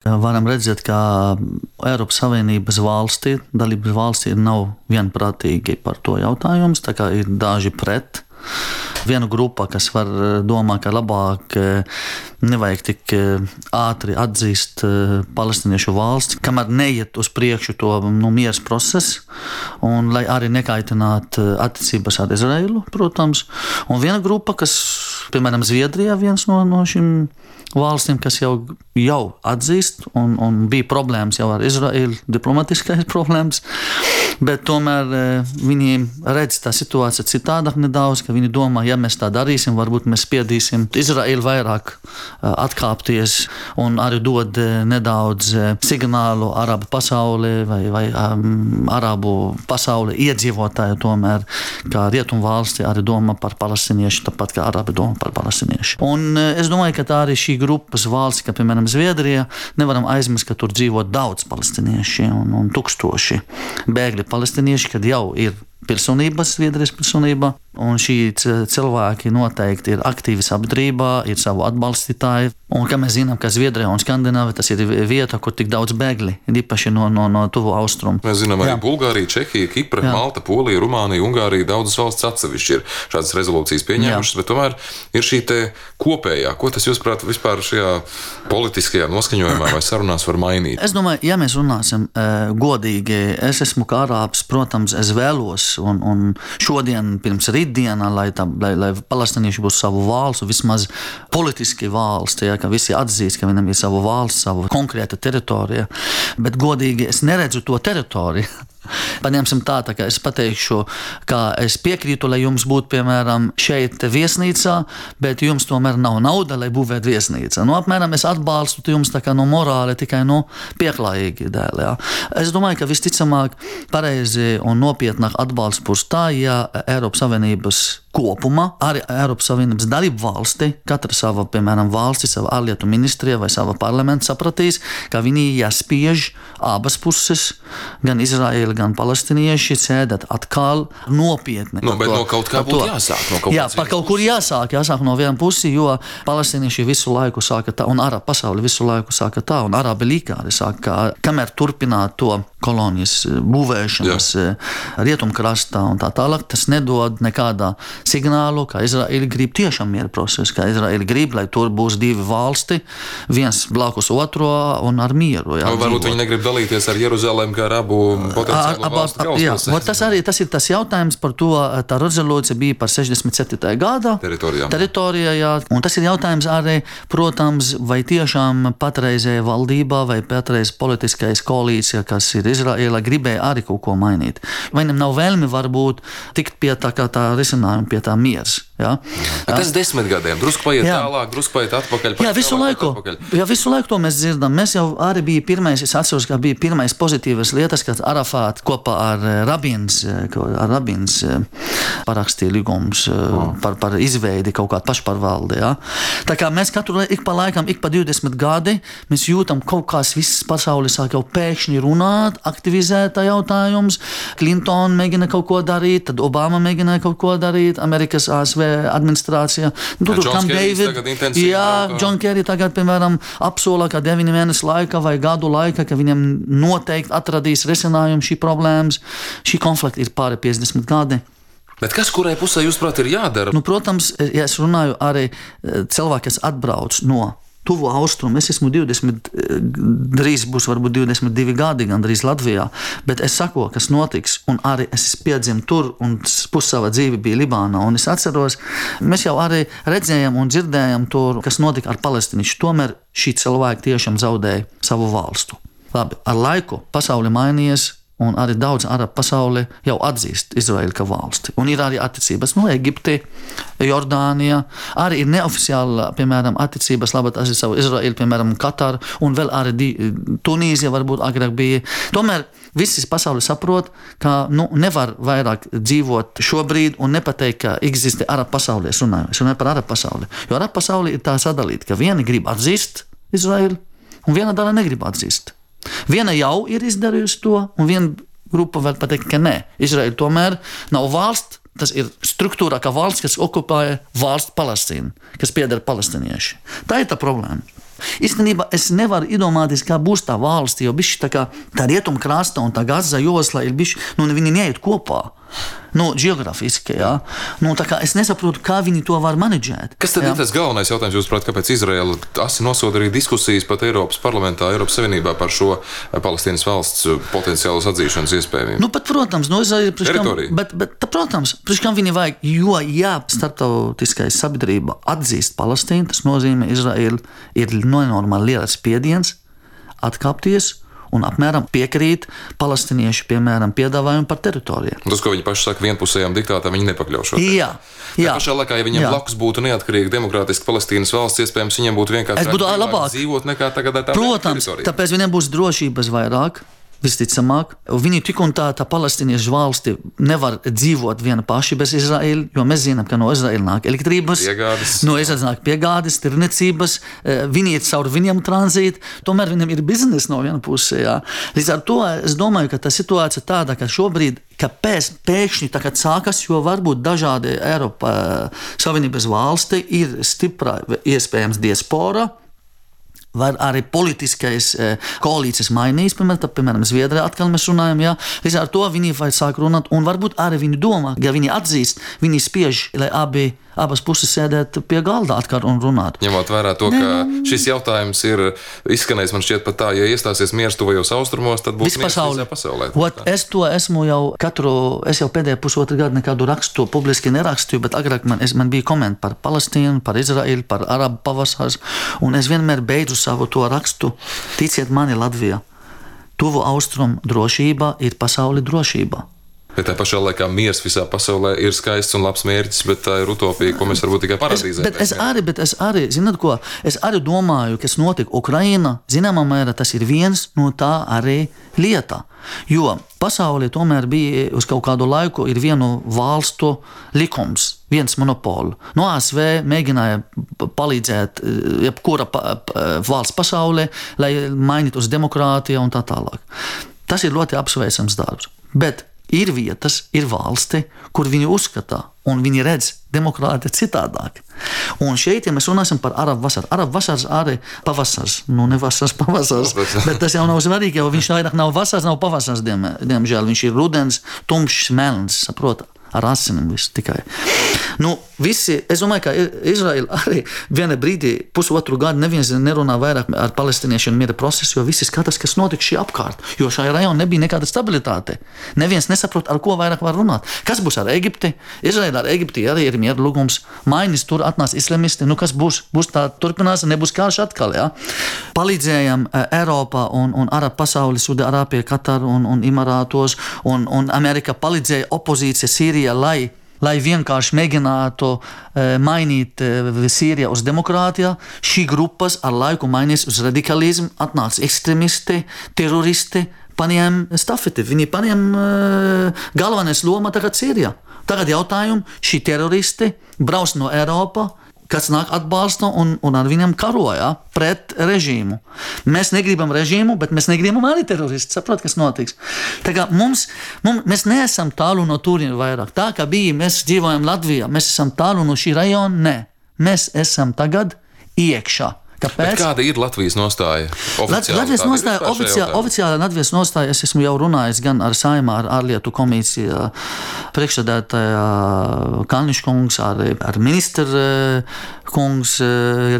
Varam redzēt, ka Eiropas Savienības valstī, dalības valstī nav vienprātīgi par to jautājums, tā kā ir daži pret. Viena grupa, kas var domāt, ka labāk nevajag tik ātri atzīst palestiniešu valsts, kamēr neiet uz priekšu to mieras procesu, un lai arī nekaitinātu attiecības ar Izraēlu, protams. Un viena grupa, kas, piemēram, Zviedrijā, viens no šīm valstīm, kas jau atzīst, un bija problēmas jau ar Izraēlu, diplomatiskais problēmas, bet tomēr viņi redz tā situācija citādāk nedaudz, ka viņi domā, ja mēs tā darīsim, varbūt mēs spiedīsim Izraēlu vairāk atkāpties un arī dod nedaudz signālu arabu pasaulē vai arabu pasaulē iedzīvotāju tomēr, kā rietumu valsti arī domā par palestiniešu, tāpat kā arabi domā par palestiniešu. Un es domāju, ka tā arī šī grupas valsts, kā piemēram Zviedrija, nevaram aizmirst, ka tur dzīvo daudz palestinieši un tūkstoši bēgļi palestinieši, kad jau ir pilsonības, Zviedrijas pilsonība, un šī cilvēki noteikti ir aktīvi sabiedrībā, ir savu atbalstītāji, un kā mēs zinām, ka Zviedrijā un Skandināvija tas ir vieta, kur tik daudz bēgļi, īpaši no tuvu austrumu. Mēs zinām arī Bulgārija, Čehija, Kipra, Malta, Polija, Rumānija, Ungārija, daudzas valsts atsevišķi ir šādas rezolūcijas pieņēmušas, bet tomēr ir šī te kopējā. Ko tas, jūsuprāt, vispār šajā politiskajā noskaņojumā vai sarunās var mainīt? Es domāju, ja mēs runāsim godīgi, es esmu kā arābs, protams, es vēlos, un šodien pirms rītdienā, lai palestinieši būs savu valstu, vismaz politiski valsti, ka visi atzīst, ka viņam ir savu valsts, savu konkrēta teritorija, bet godīgi es neredzu to teritoriju. Paņemsim tā kā es pateikšu, ka es piekrītu, lai jums būtu, piemēram, šeit viesnīcā, bet jums tomēr nav nauda, lai būvētu viesnīca. Apmēram es atbalstu jums tā kā morāli, tikai pieklājīgi dēļ. Jā. Es domāju, ka visticamāk pareizi un nopietnāk atbalsts būs tā, ja Eiropas Savienības kopumā, arī Eiropas Savienības dalību valsti, katra sava, piemēram, valsti, sava ārlietu ministrija vai sava parlamenta sapratīs, ka viņi jāspiež abas puses, gan Izraēla, gan palestinieši sēdēt atkal nopietni. Bet no kaut kā būtu jāsāk. Par kaut kur jāsāk no viena pusi, jo palestinieši visu laiku sāka tā, un arabu pasauli visu laiku sāka tā, un arabi līkāri sāka, kamēr turpināt to kolonijas būvēšanas rietumkrastā un tā tālāk, tas nedod nekādā signālu, ka Izraēla grib tiešām miera procesu, ka Izraēla grib, lai tur būs divi valsti, viens blakus otro un ar mieru. Varbūt viņi negrib dalīties ar Jeruzalem kā ar abu potenciālu valstu galvaspilsētu. Tas ir tas jautājums par to, tā rezolūcija bija par 67. gada teritorijā, un tas ir jautājums arī, protams, vai tiešām patreizēja valdībā vai patreiz politiskais koalīcija, kas ir Izraēla, gribēja arī kaut ko mainīt. Vai viņam nav vēlmi varbūt tikt pie tā risinājuma, pie tā miers. Ja? Tas 10 gadiem, drusku paiet tālāk, drusku paiet atpakaļ. Visu laiku to mēs dzirdam. Mēs jau arī bija pirmais, es atceros, ka bija pirmais pozitīvas lietas, kad Arafāt kopā ar Rabins parakstīja līgumus par izveidi kaut kādu pašpārvaldi. Ja? Tā kā mēs katru ik pa laikam, ik pa 20 gadi, mēs jūtam kaut kāds viss pasaules sāk jau pēkšņi runāt, aktivizēt tā jautājums. Clinton mēģina kaut ko darīt, tad Obama mēģināja kaut ko darīt, Amerikas ASV administrācija. John Kerry tagad, piemēram, apsola, ka 9 mēnešu laika vai gadu laika, ka viņam noteikti atradīs risinājumu šī problēmas. Šī konflikta ir pāri 50 gadi. Bet kas kurai pusē, jūsuprāt, ir jādara? Protams, ja es runāju arī cilvēki, kas atbrauc no tuvu austrumu. Es esmu 20, drīz būs varbūt 22 gadi gandrīz Latvijā, bet es saku, kas notiks, un arī es piedzimu tur, un pussava dzīve bija Libānā, un es atceros, mēs jau arī redzējām un dzirdējām tur, kas notika ar palestīniešu. Tomēr šī cilvēki tiešām zaudēja savu valstu. Labi, ar laiku pasauli mainījies, un arī daudz arabu pasauli jau atzīst Izraēlu kā valsti. Un ir arī attiecības Eģipte, Jordānija, arī ir neoficiāli, piemēram, attiecības labi ar savu Izraēlu, piemēram, Kataru, un vēl arī Tunīzija varbūt agrāk bija. Tomēr visi pasauli saprot, ka nevar vairāk dzīvot šobrīd un nepateikt, ka eksistē arabu pasaulē. Es runāju par arabu pasauli. Jo arabu pasauli ir tā sadalīta, ka viena grib atzīst Izraēlu, un viena daļa negrib atzīst. Viena jau ir izdarījusi to, un viena grupa vēl pateikt, ka nē. Izraēla tomēr nav valsts, tas ir struktūrā kā valsts, kas okupēja valsts Palestīnu, kas pieder palestīnieši. Tā ir tā problēma. Īstenībā es nevaru iedomāties, kā būs tā valsts, jo bišķi tā rietumkrasta un tā Gaza josla ir bišķi, viņi neiet kopā. Geogrāfiski, jā. Tā kā es nesaprotu, kā viņi to var menedžēt. Kas tad ir tas galvenais jautājums, jūs prāt, kāpēc Izraela asi nosoda arī diskusijas pat Eiropas parlamentā, Eiropas Savienībā par šo Palestīnas valsts potenciālas atzīšanas iespējamību? Protams, protams, priekškam viņi vajag, jo, ja starptautiskais sabiedrība atzīst Palestīnu, tas nozīmē, Izraela ir nenormāli liels spiediens atkāpties un apmēram piekrīt palestiniešu, piemēram, piedāvājumu par teritorijām. Tas, ko viņi paši saka, vienpusējām diktātām, viņi nepakļaušos. Jā. Pašā laikā, ja viņiem blakus būtu neatkarīga demokrātiska Palestīnas valsts, iespējams, viņiem būtu vienkārši labāk dzīvot nekā tagad tā Protams, teritorijā. Tāpēc viņiem būs drošības vairāk. Visticamāk, viņi tik un tā palestīniešu valsti nevar dzīvot viena paši bez Izraēla, jo mēs zinām, ka no Izraēla nāk elektrības, no Izraēlas nāk piegādes, tirniecības, viņi iet caur viņiem tranzīti, tomēr viņam ir biznesa no viena pusē. Jā. Līdz ar to es domāju, ka tā situācija tāda, ka šobrīd, kāpēc pēkšņi tagad sākas, jo varbūt dažādi Eiropas Savienības valsti ir stipra, iespējams, diaspora, vai arī politiskais koalīcijas mainījis, piemēram, Zviedrijā atkal mēs runājam, jā. Līdz ar to viņi vajag sāk runāt, un varbūt arī viņi domā, ja viņi atzīst, viņi spiež, lai abas puses sēdēt pie galda atkal un runāt. Ņemot vērā to, ka šis jautājums ir izskanējis, man šķiet pat tā, ja iestāsies miers tuvajos austrumos, tad būs miers visā pasaulē. Es to esmu es jau pēdējo pusotru gadu nekādu rakstu publiski nerakstīju, bet agrāk man bija komenti par Palestīnu, par Izraēlu, par Arabu pavasars, un es vienmēr beidzu savu to rakstu. Ticiet mani, Latvijā, tuvu austrumu drošība ir pasauli drošība. Bet tā pašā laikā miers visā pasaulē ir skaists un labs mērķis, bet tā ir utopija, ko mēs varbūt tikai paradīzē. Bet es arī, zināt ko, es arī domāju, kas notika Ukraina, zināmā mērā tas ir viens no tā arī lieta. Jo pasaulē tomēr bija uz kaut kādu laiku ir vienu valstu likums, viens monopolu. No ASV mēģināja palīdzēt jebkura valsts pasaulē, lai mainītu uz demokrātiju un tā tālāk. Tas ir ļoti apsveicams darbs. Bet ir vietas, ir valsti, kur viņi uzskatā un viņi redz demokrātiju citādāk. Un šeit, ja mēs runāsim par Arabu vasaru, Arabu vasars arī pavasars, ne vasars, pavasars, bet tas jau nav svarīgi, jo viņš vairāk nav vasars, nav pavasars, diemžēl, viņš ir rudens, tumšs, melns, saprot, ar asinām viss tikai. Visi, es domāju, ka Izraela arī viena brīdī, pusotru gadu neviens nerunā vairāk ar palestīniešiem miera procesu, jo visi skatās, kas notika šī apkārt, jo šajā rajonā nebija nekāda stabilitāte. Neviens nesaprot, ar ko vairāk var runāt. Kas būs ar Eģipti? Izraela ar Eģipti arī ir miera lūgums. Mainis tur atnāc islamisti, kas būs? Būs tā turpinās, nebūs karš atkal, jā. Palīdzējam Eiropā un Arabu pasauli, Saudi-Arābija, Katar un Imarātos, un Amerika palīdzēja opozīcija Sīrijā, lai vienkārši mēģinātu mainīt Sīrijā uz demokrātiju. Šī grupas ar laiku mainīs uz radikalismu, atnāca ekstremisti, teroristi, paņem stafeti. Viņi paņem galvenais loma tagad Sīrijā. Tagad jautājumu, šī teroristi brauc no Eiropā, kas nāk atbalsta un ar viņam karoja pret režīmu. Mēs negribam režīmu, bet mēs negribam arī teroristi. Saprot, kas notiks. Tā kā mēs neesam tālu no turien vairāk. Tā kā bija, mēs dzīvojam Latvijā, mēs esam tālu no šī rajona, nē. Mēs esam tagad iekšā. Kāpēc? Bet kāda ir Latvijas nostāja? Oficiāla Latvijas nostāja, es esmu jau runājis gan ar Saeimā, ar ārlietu komisiju priekšsēdētāja Kalniņš kungs, ar ministra kungs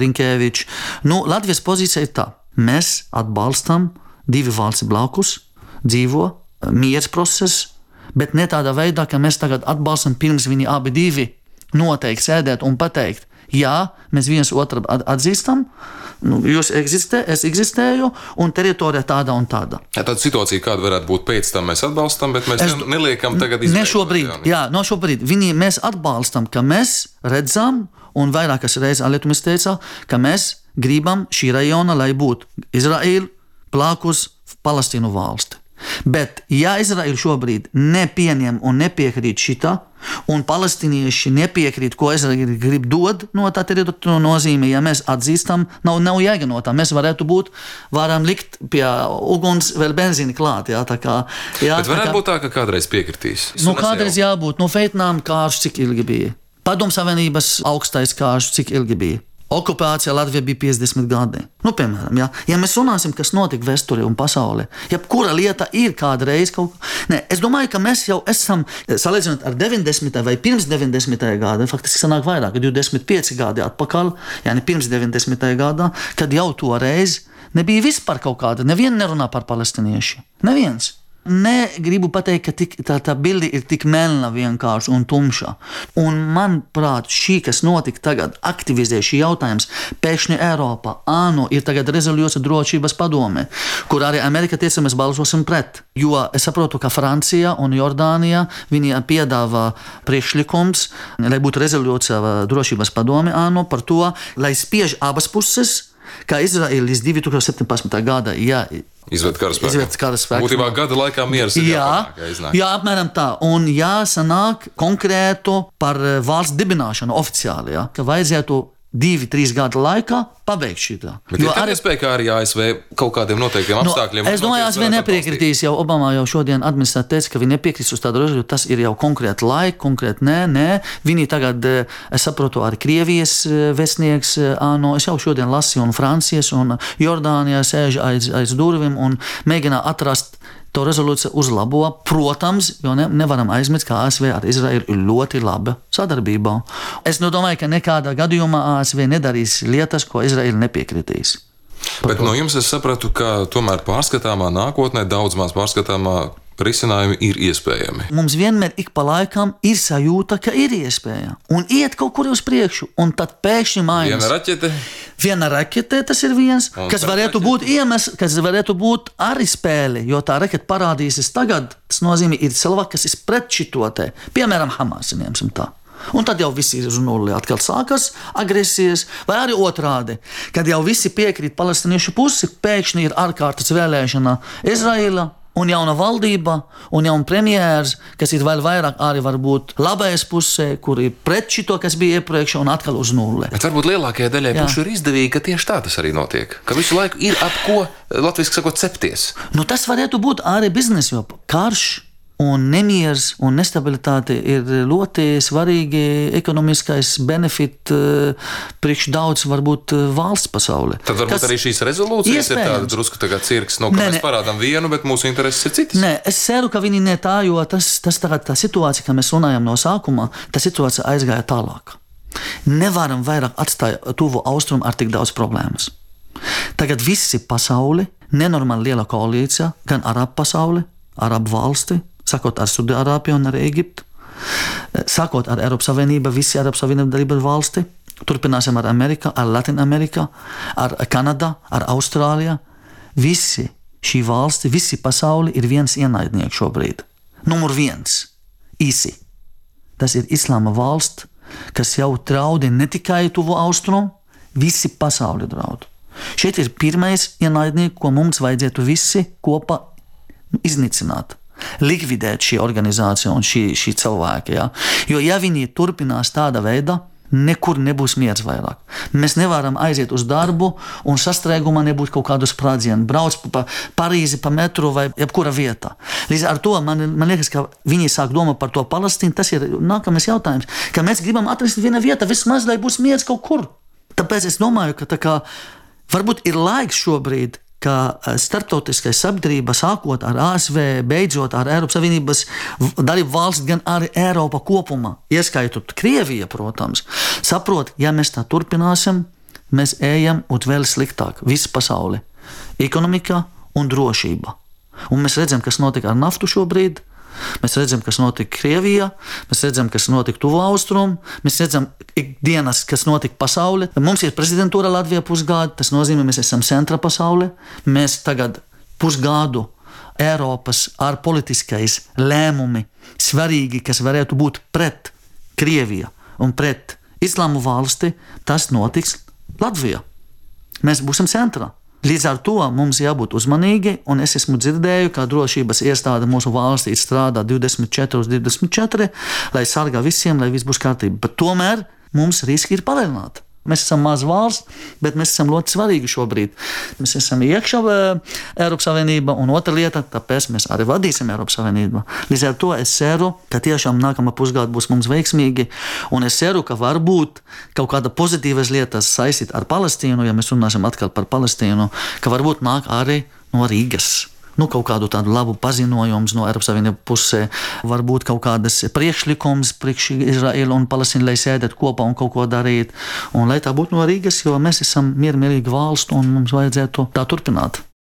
Rinkēvičs. Latvijas pozīcija ir tā. Mēs atbalstam divi valsts blakus, dzīvo miers process, bet ne tādā veidā, ka mēs tagad atbalstam pirms viņi abi divi noteikti sēdēt un pateikt, jā, mēs viens otru atzīstam, jūs eksistē, es eksistēju, un teritorija tāda un tāda. Tāda situācija, kāda varētu būt pēc tam, mēs atbalstam, bet mēs neliekam tagad izveidot. Ne šobrīd. Mēs atbalstam, ka mēs redzam, un vairākas reizes Alietumis teica, ka mēs gribam šī rajona, lai būtu Izraēla blakus Palestīnu valsti. Bet, ja Izraēla šobrīd nepieņem un nepiekrīt šitā, un palestīnieši nepiekrīt, ko Izraēla grib dot no tā teritorija, nozīmē, ja mēs atzīstam, nav jēga no tā. Mēs varam likt pie uguns vēl benzīni klāt. Jā, tā kā, bet varētu būt tā, ka kādreiz piekritīs. Kādreiz jābūt. Vietnām kārš, cik ilgi bija. Padomu Savienības augstais kārš, cik ilgi bija. Okupācija Latvijā bija 50 gadi. Nu, piemēram, ja mēs runāsim, kas notika vēsturē un pasaulē, jebkura lieta ir kādreiz kaut kā. Nē, es domāju, ka mēs jau esam, salīdzinot ar 90. vai pirms 90. gada, faktiski sanāk vairāk, 25 gadi atpakaļ, pirms 90. gadā, kad jau toreiz nebija vispār kaut kāda, neviena nerunā par palestinieši. Neviens. Negribu pateikt, ka tā bilde ir tik melna vienkārši un tumša. Un manuprāt, šī, kas notika tagad, aktivizē šī jautājums pēkšņi Eiropā. ANO ir tagad rezolūcija drošības padome, kur arī Amerika teica, mēs balsosim pret. Jo es saprotu, ka Francija un Jordānija viņi piedāvā priekšlikums, lai būtu rezolūcija drošības padome ANO par to, lai spiež abas puses, kā Izraēla līdz 2017. gada, izved karaspēku. Būtībā gada laikā mieras ir jāpanāk. Jā, apmēram tā. Un jāsanāk konkrētu par valsts dibināšanu oficiāli, ka vajadzētu 2-3 gadu laikā pabeigt šitā. Bet ir arī iespēja, ka arī ASV kaut kādiem noteiktiem apstākļiem. Es domāju, ASV nepiekritīs, jau Obama jau šodien administrācija teica, ka viņi nepiekritīs uz tādu rezolūciju, tas ir jau konkrēti laika, konkrēti nē. Viņi tagad, es saprotu, arī Krievijas vēstnieks, es jau šodien lasīju, un Francijas un Jordānijā sēž aiz durvīm un mēģina atrast to rezolūciju uzlabo. Protams, jo nevaram aizmirst, ka ASV ar Izraēlu ir ļoti laba sadarbība. Es domāju, ka nekādā gadījumā ASV nedarīs lietas, ko Izraēla nepiekritīs. Bet no jums es sapratu, ka tomēr pārskatāmā nākotnē, daudz maz pārskatāmā risinājumi ir iespējami. Mums vienmēr ik pa laikam ir sajūta, ka ir iespēja. Un iet kaut kur uz priekšu, un tad pēkšņi mainās. Viena raķete, tas ir viens, kas varētu būt iemesls, kas varētu būt arī spēle, jo tā raķete parādīsies tagad, tas nozīmē, ir cilvēki, kas ir pret šitotē, piemēram, Hamas, ņemsim tā. Un tad jau visi ir uz nulli, atkal sākas agresijas, vai arī otrādi, kad jau visi piekrīt palestiniešu pusi, pēkšņi ir ārkārtas vēlēšana Izraēla, un jauna valdība, un jauna premjērs, kas ir vēl vairāk arī varbūt labais pusē, kur ir pret šito, kas bija iepriekš, un atkal uz nulli. Bet varbūt lielākajai daļai pušu ir izdevīgi, ka tieši tā tas arī notiek. Ka visu laiku ir ap ko, latviski sakot, cepties. Tas varētu būt arī biznesa, jo karš un nemieris un nestabilitāte ir ļoti svarīgi ekonomiskais benefit priekš daudz varbūt valsts pasaulē. Tad varbūt arī šīs rezolūcijas ir tāda drusku tagad cirks, ka mēs parādām vienu, bet mūsu intereses ir citas. Nē, es ceru, ka viņi ne tā, jo tas tagad tā situācija, ka mēs runājam no sākuma, tā situācija aizgāja tālāk. Nevaram vairāk atstāt tuvu austrumu ar tik daudz problēmas. Tagad visi pasauli, nenormāli liela koalīcija, gan arabu pasauli, arabu valsti, sākot ar Saudi-Arābiju un ar Ēģiptu, sākot ar Eiropas Savienību, visi Eiropas Savienības dalību valsti, turpināsim ar Ameriku, ar Latinamerika, ar Kanada, ar Austrāliju. Visi šī valsti, visi pasauli ir viens ienaidnieks šobrīd. Numur 1 īsi. Tas ir Islāma valsts, kas jau draudi ne tikai tuvu austrumu, visi pasauli draud. Šeit ir pirmais ienaidnieks, ko mums vajadzētu visi kopā iznīcināt. Likvidēt šī organizācija un šī cilvēki. Jo ja viņi turpinās tāda veida, nekur nebūs miers vairāk. Mēs nevaram aiziet uz darbu un sastrēgumā nebūs kaut kādu sprādzienu, brauc pa Parīzi, pa metru vai jebkura vietā. Līdz ar to man liekas, ka viņi sāk domāt par to Palestīnu, tas ir nākamais jautājums, ka mēs gribam atrast viena vieta, vismaz, lai būs miers kaut kur. Tāpēc es domāju, ka varbūt ir laiks šobrīd, ka starptautiskai sabiedrība sākot ar ASV, beidzot ar Eiropas Savienības dalību valsts, gan arī Eiropa kopumā, ieskaitot Krieviju, protams, saprot, ja mēs tā turpināsim, mēs ejam un vēl sliktāk visu pasauli, ekonomikā un drošība. Un mēs redzam, kas notika ar naftu šobrīd, mēs redzam, kas notika Krievijā, mēs redzam, kas notika tuvu austrumu, mēs redzam ikdienas, kas notika pasaulē. Mums ir prezidentūra Latvijā pusgadu, tas nozīmē, mēs esam centra pasaulē. Mēs tagad pusgadu Eiropas ārpolitiskais lēmumi svarīgi, kas varētu būt pret Krieviju un pret Islāmu valsti, tas notiks Latvijā. Mēs būsim centrā. Līdz ar to mums jābūt uzmanīgi, un es esmu dzirdēju, ka drošības iestāde mūsu valstī strādā 24/24, lai sargā visiem, lai viss būs kārtībā. Bet tomēr mums riski ir palielināti. Mēs esam maza valsts, bet mēs esam ļoti svarīgi šobrīd. Mēs esam iekšā Eiropas Savienībā, un otra lieta, tāpēc mēs arī vadīsim Eiropas Savienību. Līdz ar to es ceru, ka tiešām nākamā pusgada būs mums veiksmīgi, un es ceru, ka varbūt kaut kāda pozitīvas lietas saistīt ar Palestīnu, ja mēs runāsim atkal par Palestīnu, ka varbūt nāk arī no Rīgas. Kaut kādu tādu labu paziņojumu no Eiropas Savienības pusē, varbūt kaut kādas priekšlikums priekš Izraēlu un Palestīnu, lai sēdētu kopā un kaut ko darīt. Un lai tā būtu no Rīgas, jo mēs esam miermīlīga valsts un mums vajadzētu tā turpināt.